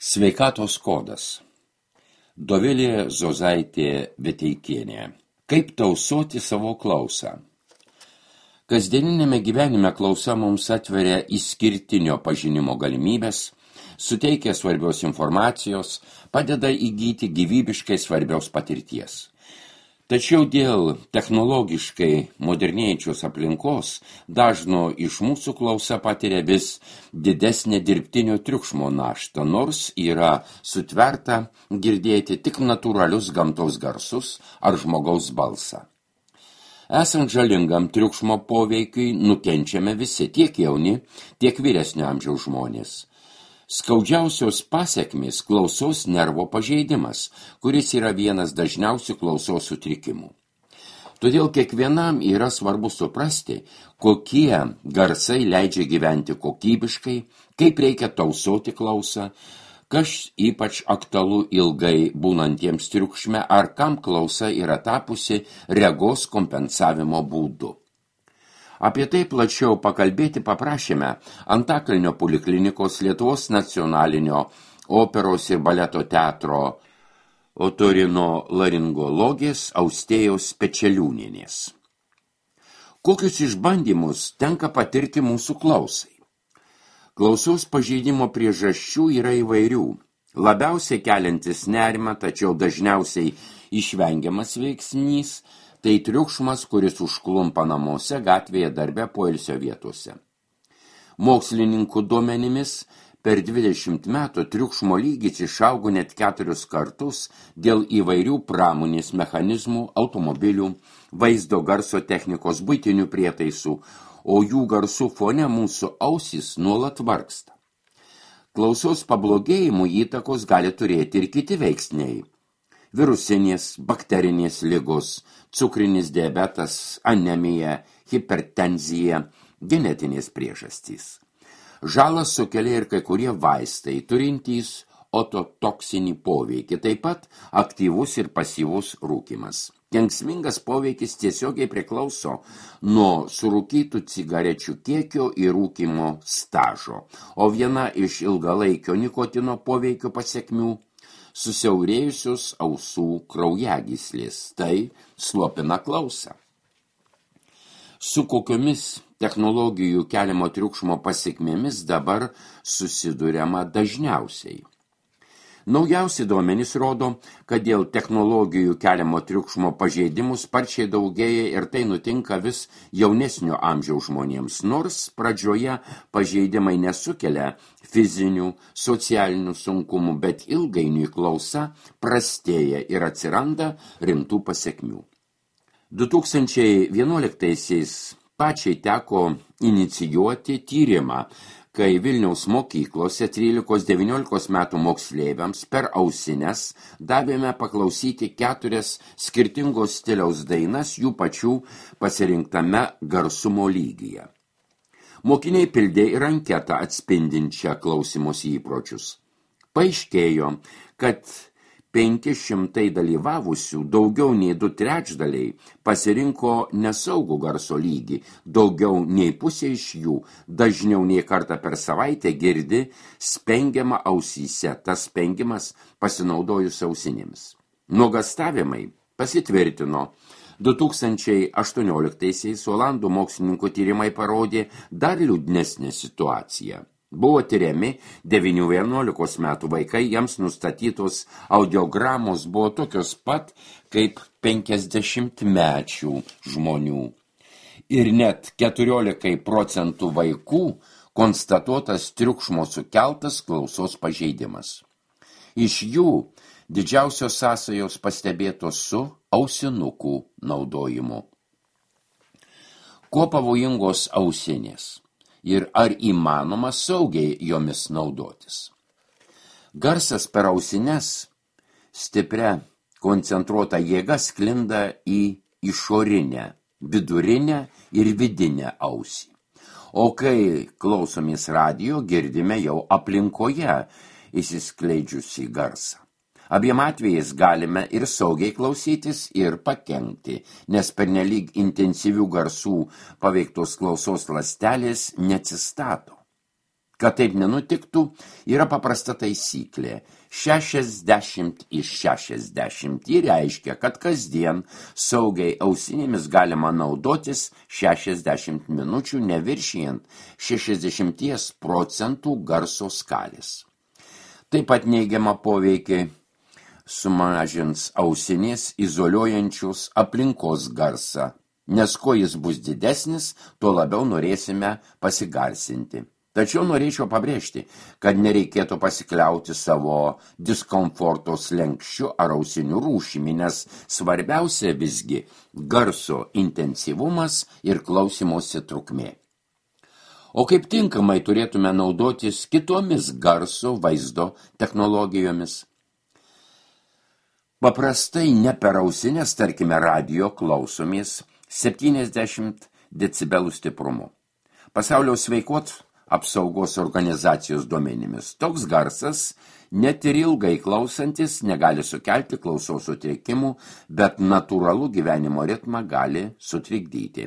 Sveikatos kodas. Dovilė Zozaitė Veteikienė. Kaip tausoti savo klausą? Kasdieninėme gyvenime klausa mums atveria išskirtinio pažinimo galimybės, suteikia svarbios informacijos, padeda įgyti gyvybiškai svarbios patirties. Tačiau dėl technologiškai modernėjančios aplinkos dažno iš mūsų klausa patiria vis didesnė dirbtinio triukšmo naštą, nors yra sutverta girdėti tik natūralius gamtos garsus ar žmogaus balsą. Esant žalingam triukšmo poveikiui nukenčiame visi, tiek jauni, tiek vyresnio amžiaus žmonės. Skaudžiausios pasekmės klausos nervo pažeidimas, kuris yra vienas dažniausių klausos sutrikimų. Todėl kiekvienam yra svarbu suprasti, kokie garsai leidžia gyventi kokybiškai, kaip reikia tausoti klausą, kas ypač aktualu ilgai būnantiems triukšme ar kam klausa yra tapusi regos kompensavimo būdu. Apie tai plačiau pakalbėti paprašėme Antakalnio poliklinikos Lietuvos nacionalinio operos ir baleto teatro otorinolaringologės Austėjos Pečeliūnienės. Kokius išbandymus tenka patirti mūsų klausai? Klausos pažeidimo priežasčių yra įvairių. Labiausiai keliantis nerimą, tačiau dažniausiai išvengiamas veiksnys – tai triukšmas, kuris užklumpa namuose, gatvėje, darbe, poilsio vietose. Mokslininkų duomenimis per 20 metų triukšmo lygis išaugo net 4 kartus dėl įvairių pramonės mechanizmų, automobilių, vaizdo garso technikos, buitinių prietaisų, o jų garsų fone mūsų ausys nuolat vargsta. Klausos pablogėjimų įtakos gali turėti ir kiti veiksniai. Virusinės, bakterinės ligos, cukrinis diabetas, anemija, hipertenzija, genetinės priežastys. Žalą sukelia ir kai kurie vaistai, turintys ototoksinį poveikį, taip pat aktyvus ir pasyvus rūkymas. Kenksmingas poveikis tiesiogiai priklauso nuo surūkytų cigarečių kiekio ir rūkymo stažo, o viena iš ilgalaikio nikotino poveikio pasekmių susiaurėjusios ausų kraujagyslės, tai slopina klausą. Su kokiomis technologijų keliamo triukšmo pasekmėmis dabar susiduriama dažniausiai? Naujausi duomenys rodo, kad dėl technologijų keliamo triukšmo pažeidimų sparčiai daugėja ir tai nutinka vis jaunesnio amžiaus žmonėms, nors pradžioje pažeidimai nesukelia fizinių, socialinių sunkumų, bet ilgainiui klausa prastėja ir atsiranda rimtų pasekmių. 2011-aisiais pačiai teko inicijuoti tyrimą, kai Vilniaus mokyklose 13-19 metų moksleiviams per ausines davėme paklausyti 4 skirtingos stiliaus dainas jų pačių pasirinktame garsumo lygyje. Mokiniai pildė ir anketą atspindinčią klausymosi įpročius. Paaiškėjo, kad 500 dalyvavusių, daugiau nei 2/3 pasirinko nesaugų garso lygį, daugiau nei pusė iš jų, dažniau nei kartą per savaitę girdi spengiamą ausyse, tas spengimas pasinaudojus ausinėmis. Nuogąstavimai pasitvirtino. 2018-aisiais Olandų mokslininkų tyrimai parodė dar liūdnesnę situaciją. Buvo tyriami 9-11 metų vaikai, jiems nustatytos audiogramos buvo tokios pat kaip 50-mečių žmonių. Ir net 14% vaikų konstatuotas triukšmo sukeltas klausos pažeidimas. Iš jų didžiausios sąsajos pastebėtos su ausinukų naudojimu. Kuo pavojingos ausinės? Ir ar įmanoma saugiai jomis naudotis? Garsas per ausines stipria koncentruota jėga sklinda į išorinę, vidurinę ir vidinę ausį. O kai klausomės radijo, girdime jau aplinkoje įsiskleidžiusį garsą. Abiem atvejais galime ir saugiai klausytis, ir pakenkti, nes pernelyg intensyvių garsų paveiktos klausos ląstelės neatsistato. Kad taip nenutiktų, yra paprasta taisyklė. 60 iš 60 reiškia, kad kasdien saugiai ausinėmis galima naudotis 60 minučių neviršijant 60% garso skalės. Taip pat neigiamą poveikį sumažins ausinės izoliuojančios aplinkos garsą, nes kuo jis bus didesnis, tuo labiau norėsime pasigarsinti. Tačiau norėčiau pabrėžti, kad nereikėtų pasikliauti savo diskomforto slenksčiu ar ausinių rūšimi, nes svarbiausia visgi garso intensyvumas ir klausymosi trukmė. O kaip tinkamai turėtume naudotis kitomis garso vaizdo technologijomis? Paprastai ne per ausines, tarkime, radio klausomės 70 decibelų stiprumu. Pasaulio sveikatos apsaugos organizacijos duomenimis toks garsas, net ir ilgai klausantis, negali sukelti klausos sutrikimų, bet natūralų gyvenimo ritmą gali sutrikdyti.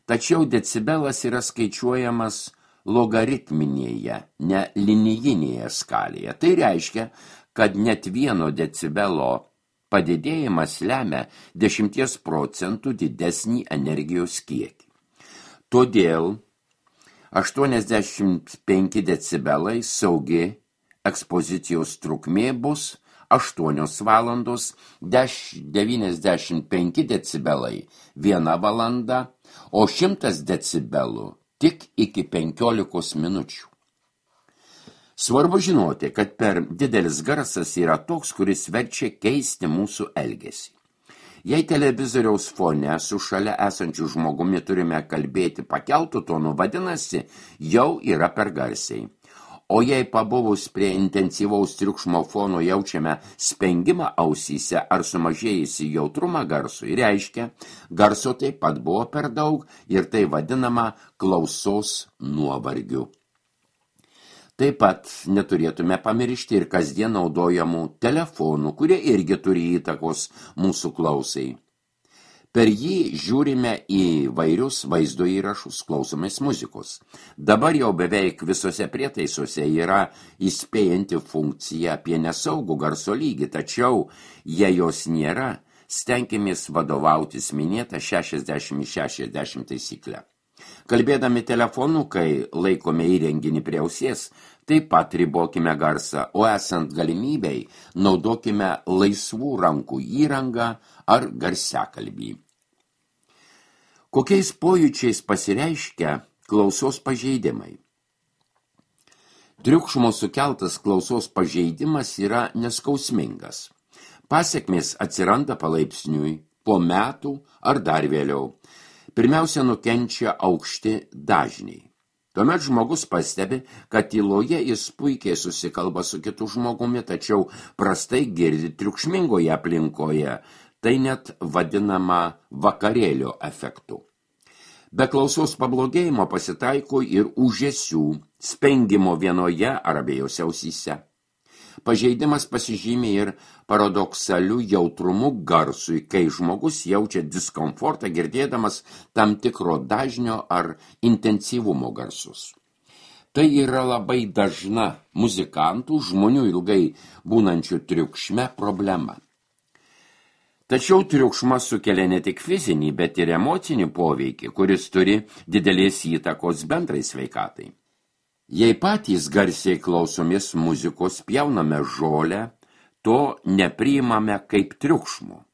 Tačiau decibelas yra skaičiuojamas logaritminėje, ne linijinėje skalėje. Tai reiškia, kad net 1 decibelo padidėjimas lemia 10% didesnį energijos kiekį. Todėl 85 decibelai saugi ekspozicijos trukmė bus 8 valandos, 95 decibelai 1 valanda, o 100 decibelų tik iki 15 minučių. Svarbu žinoti, kad per didelis garsas yra toks, kuris verčia keisti mūsų elgesį. Jei televizoriaus fone su šalia esančiu žmogumi turime kalbėti pakeltų tonu, vadinasi, jau yra per garsiai. O jei pabuvus prie intensyvaus triukšmo fono jaučiame spengimą ausyse ar sumažėjusį jautrumą garsui, reiškia, garso taip pat buvo per daug ir tai vadinama klausos nuovargiu. Taip pat neturėtume pamiršti ir kasdien naudojamų telefonų, kurie irgi turi įtakos mūsų klausai. Per jį žiūrime į vairius vaizdo įrašus, klausomės muzikos. Dabar jau beveik visose prietaisuose yra įspėjanti funkcija apie nesaugų garso lygį, tačiau jei jos nėra, stenkimės vadovautis minėtą 60/60 taisyklę. Kalbėdami telefonu, kai laikome įrenginį prie ausies, taip pat ribokime garsą, o esant galimybei naudokime laisvų rankų įrangą ar garsiakalbį. Kokiais pojūčiais pasireiškia klausos pažeidimai? Triukšmo sukeltas klausos pažeidimas yra neskausmingas. Pasekmės atsiranda palaipsniui, po metų ar dar vėliau. Pirmiausia, nukenčia aukšti dažniai. Tuomet žmogus pastebi, kad tyloje jis puikiai susikalba su kitu žmogumi, tačiau prastai girdi triukšmingoje aplinkoje, tai net vadinama vakarėlio efektu. Be klausos pablogėjimo pasitaiko ir ūžesių, spengimo vienoje ar abiejose ausyse. Pažeidimas pasižymė ir paradoksaliu jautrumu garsui, kai žmogus jaučia diskomfortą girdėdamas tam tikro dažnio ar intensyvumo garsus. Tai yra labai dažna muzikantų, žmonių ilgai būnančių triukšme problema. Tačiau triukšmas sukelia ne tik fizinį, bet ir emocinį poveikį, kuris turi didelės įtakos bendrai sveikatai. Jei patys garsiai klausomės muzikos, pjauname žolę, to nepriimame kaip triukšmo.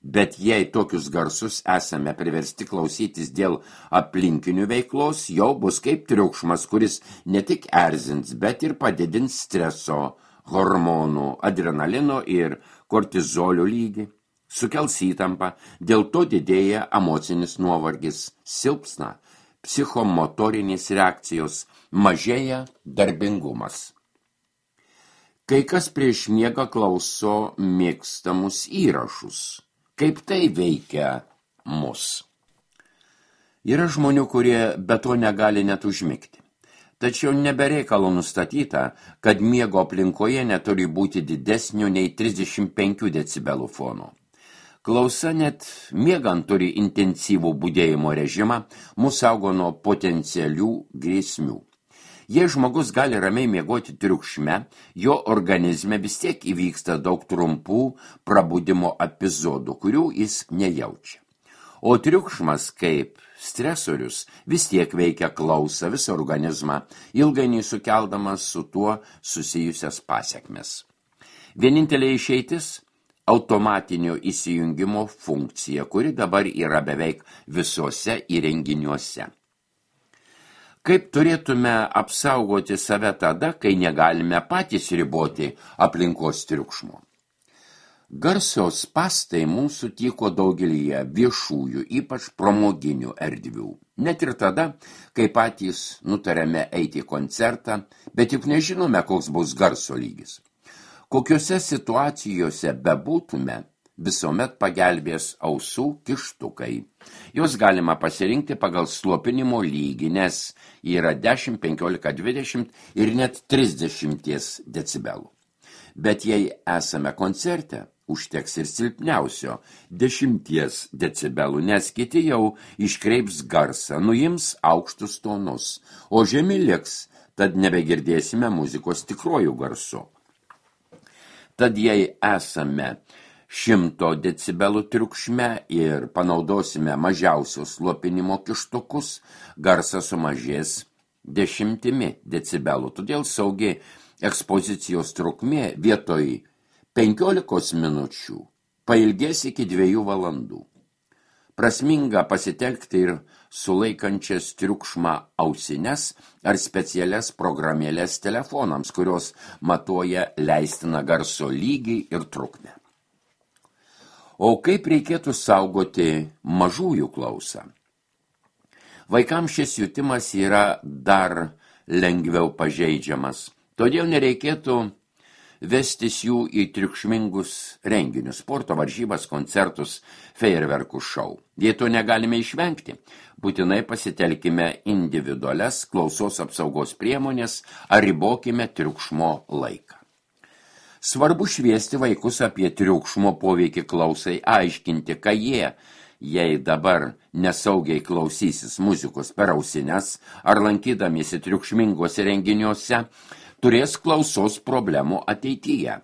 Bet jei tokius garsus esame priversti klausytis dėl aplinkinių veiklos, jau bus kaip triukšmas, kuris ne tik erzins, bet ir padidins streso, hormonų, adrenalino ir kortizolio lygį, sukels įtampą, dėl to didėja emocinis nuovargis, silpsna psichomotorinės reakcijos, mažėja darbingumas. Kai kas prieš miegą klauso mėgstamus įrašus. Kaip tai veikia mus? Yra žmonių, kurie be to negali net užmigti. Tačiau nebereikalo nustatyta, kad miego aplinkoje neturi būti didesnio nei 35 decibelų fono. Klausa net miegant turi intensyvų budėjimo režimą, mus saugo nuo potencialių grėsmių. Jei žmogus gali ramiai miegoti triukšme, jo organizme vis tiek įvyksta daug trumpų prabudimo epizodų, kurių jis nejaučia. O triukšmas kaip stresorius vis tiek veikia klausą visą organizmą, ilgainiui sukeldamas su tuo susijusias pasekmes. Vienintelė išeitis – automatinio įsijungimo funkcija, kuri dabar yra beveik visuose įrenginiuose. Kaip turėtume apsaugoti save tada, kai negalime patys riboti aplinkos triukšmo? Garso spąstai mūsų tyko daugelyje viešųjų, ypač pramoginių erdvių. Net ir tada, kai patys nutarėme eiti į koncertą, bet juk nežinome, koks bus garso lygis. Kokiose situacijose bebūtume, visuomet pagelbės ausų kištukai. Jos galima pasirinkti pagal slopinimo lygį, nes yra 10, 15, 20 ir net 30 decibelų. Bet jei esame koncerte, užteks ir silpniausio 10 decibelų, nes kiti jau iškreips garsą, nuims aukštus tonus, o žemi liks, tad nebegirdėsime muzikos tikruoju garsu. Tad jei esame 100 decibelų triukšme ir panaudosime mažiausios slopinimo kištukus, garsas sumažės 10 decibelų, todėl saugi ekspozicijos trukmė vietoj 15 minučių pailgės iki 2 valandų. Prasminga pasitelkti ir sulaikančias triukšmą ausines ar specialias programėlės telefonams, kurios matuoja leistiną garso lygį ir trukmę. O kaip reikėtų saugoti mažųjų klausą? Vaikams šis jutimas yra dar lengviau pažeidžiamas, todėl nereikėtų vestis jų į triukšmingus renginius, sporto varžybas, koncertus, fejerverkų šou. Jei to negalime išvengti, būtinai pasitelkime individualias klausos apsaugos priemonės ar ribokime triukšmo laiką. Svarbu šviesti vaikus apie triukšmo poveikį klausai, aiškinti, kad jie, jei dabar nesaugiai klausysis muzikos per ausines ar lankydamiesi triukšmingose renginiuose, turės klausos problemų ateityje.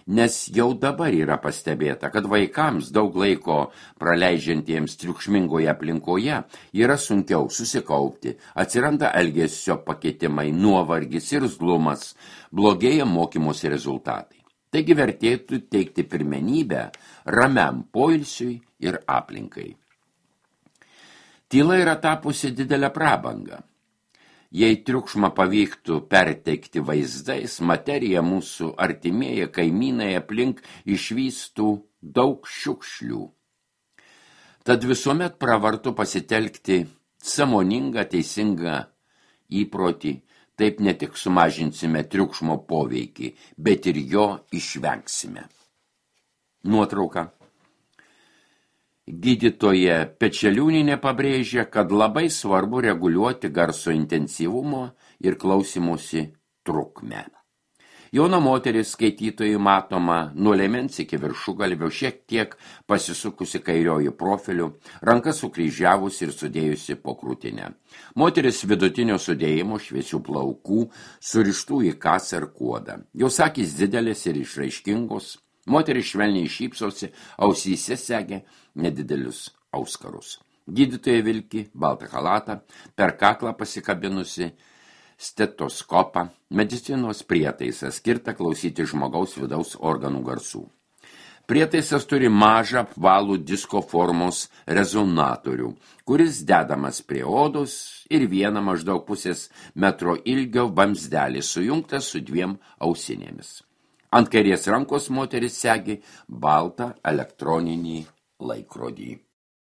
Nes jau dabar yra pastebėta, kad vaikams daug laiko praleidžiantiems triukšmingoje aplinkoje yra sunkiau susikaupti, atsiranda elgesio pakitimai, nuovargis ir irzlumas, blogėja mokymosi rezultatai. Taigi vertėtų teikti pirmenybę ramiam poilsiui ir aplinkai. Tyla yra tapusi didelę prabangą. Jei triukšmą pavyktų perteikti vaizdais, materija mūsų artimieji kaimynai aplink išvystų daug šiukšlių. Tad visuomet pravartu pasitelkti sąmoningą, teisingą įprotį, taip ne tik sumažinsime triukšmo poveikį, bet ir jo išvengsime. Nuotrauka. Gydytoja Pečeliūnienė pabrėžia, kad labai svarbu reguliuoti garso intensyvumo ir klausymosi trukmę. Jauna moteris skaitytojai matoma nuo liemens iki viršugalvio, šiek tiek pasisukusi kairioji profiliu, rankas sukryžiavusi ir sudėjusi po krūtinę. Moteris vidutinio sudėjimo, šviesių plaukų, surištų į kasą ir kuodą. Jos akys didelės ir išraiškingos. Moteris švelniai šypsosi, ausyse segė nedidelius auskarus. Gydytoja vilki baltą chalatą, per kaklą pasikabinusi stetoskopą, medicinos prietaisą skirtą klausyti žmogaus vidaus organų garsų. Prietaisas turi mažą apvalų disko formos rezonatorių, kuris dedamas prie odos ir vieną maždaug pusės metro ilgio vamzdelį sujungtas su 2 ausinėmis. Ant kairės rankos moteris segi baltą elektroninį laikrodį.